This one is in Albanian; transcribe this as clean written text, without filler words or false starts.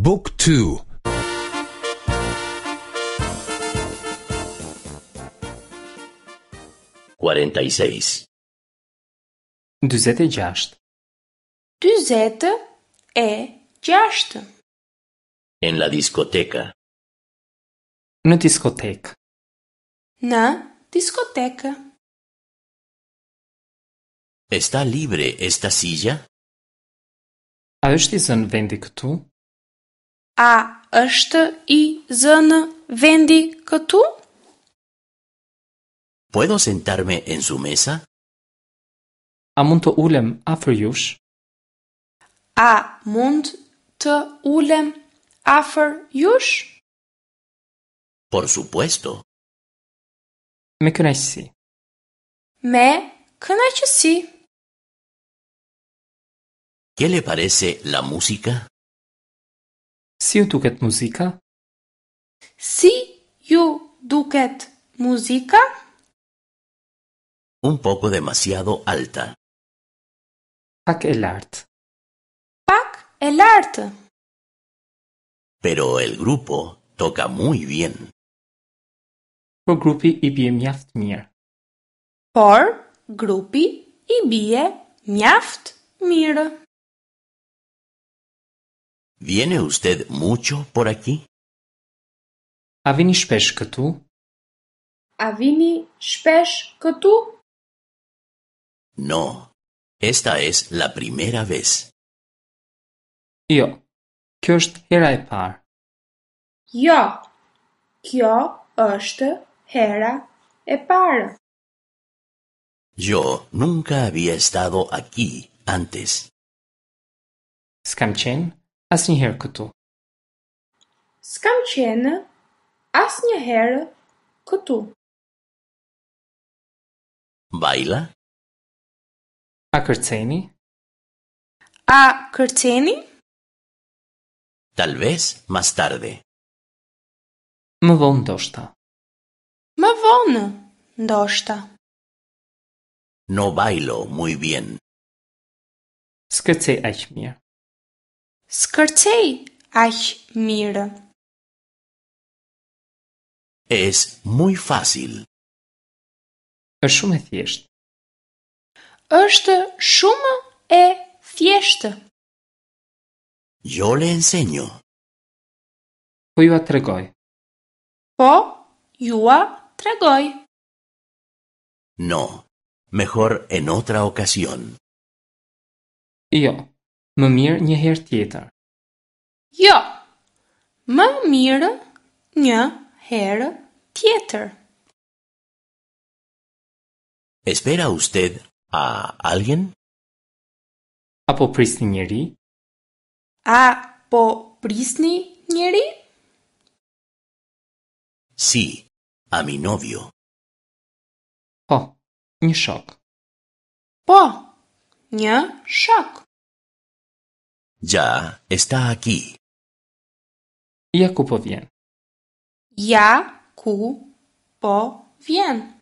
บุ๊กทู 46. 46. 46. En la discoteca. Në diskotekë. Në diskotekë. ¿Está libre esta silla? A është i zënë vendi këtu? A është i zënë vendi këtu? ¿Puedo sentarme en su mesa? A mund të ulem afër jush? A mund të ulem afër jush? Por supuesto. Me kënaqësi. Me kënaqësi. ¿Qué le parece la música? Si ju duket muzika? Si ju duket muzika? Un poco demasiado alta. Pak e lartë. Pak e lartë. Pero el grupo toca muy bien. Por grupi i bie mjaft mirë. Por grupi i bie mjaft mirë. ¿Viene usted mucho por aquí? A vini shpesh këtu? A vini shpesh këtu? No, esta es la primera vez. Jo. Kjo është hera e parë. Jo. Kjo është hera e parë. Yo nunca había estado aquí antes. S'kam qenë asnjëherë këtu. S'kam qenë asnjëherë këtu. ¿Baila? A kërceni? A kërceni? Tal vez más tarde. Më vonë ndoshta. Më vonë, ndoshta. No bailo muy bien. S'kërcej aq mirë. S'kërcej aq mirë. Es muy fácil. Është shumë e thjeshtë. Është shumë e thjeshtë. Yo le enseño. Po jua tregoj. Po jua tregoj. No, mejor en otra ocasión. Jo. Më mirë një herë tjetër. Jo. Më mirë një herë tjetër. ¿Espera usted a alguien? Apo prisni njeri? A po prisni njeri? Sí, a mi novio. Po, një shok. Po, një shok. Ya está aquí. Ja ku po vjen. Ja ku po vjen.